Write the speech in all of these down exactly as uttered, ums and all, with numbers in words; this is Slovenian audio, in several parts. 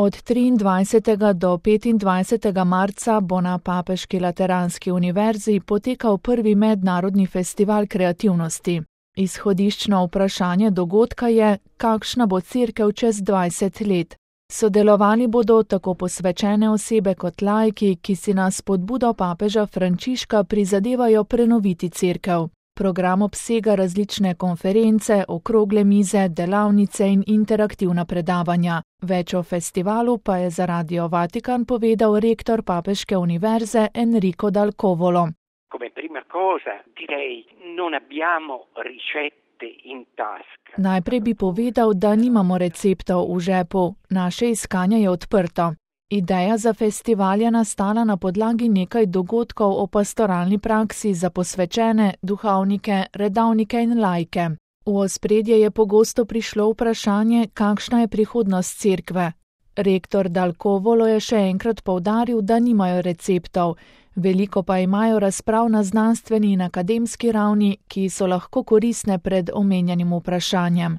Od triindvajsetega do petindvajsetega marca bo na Papeški lateranski univerzi potekal prvi mednarodni festival kreativnosti. Izhodiščno vprašanje dogodka je, kakšna bo cerkev čez dvajset let. Sodelovali bodo tako posvečene osebe kot laiki, ki si na spodbudo papeža Frančiška prizadevajo prenoviti cerkev. Program obsega različne konference, okrogle mize, delavnice in interaktivna predavanja. Več o festivalu pa je za Radio Vatikan povedal rektor Papeške univerze Enrico Dal Covolo. Come prima cosa direi non abbiamo ricette in tasca. Najprej bi povedal, da nimamo receptov v žepu, naše iskanje je odprto. Ideja za festival je nastala na podlagi nekaj dogodkov o pastoralni praksi za posvečene, duhovnike, redavnike in laike. V ospredje je pogosto prišlo vprašanje, kakšna je prihodnost cerkve. Rektor Dal Covolo je še enkrat poudaril, da nimajo receptov, veliko pa imajo razprav na znanstveni in akademski ravni, ki so lahko koristne pred omenjenim vprašanjem.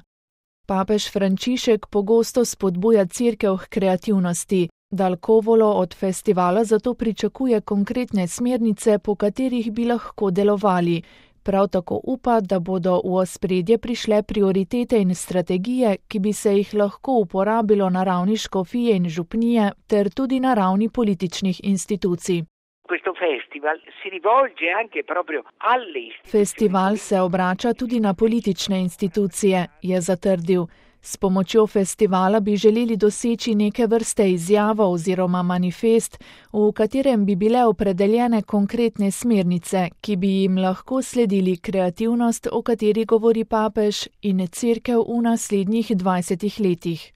Papež Frančišek pogosto spodbuja cerkev k kreativnosti. Dal Covolo od festivala zato pričakuje konkretne smernice, po katerih bi lahko delovali. Prav tako upa, da bodo v ospredje prišle prioritete in strategije, ki bi se jih lahko uporabilo na ravni škofije in župnije ter tudi na ravni političnih institucij. Festival se obrača tudi na politične institucije, je zatrdil. S pomočjo festivala bi želeli doseči neke vrste izjavo oziroma manifest, v katerem bi bile opredeljene konkretne smernice, ki bi jim lahko sledili kreativnost, o kateri govori papež, in cerkev v naslednjih dvajsetih letih.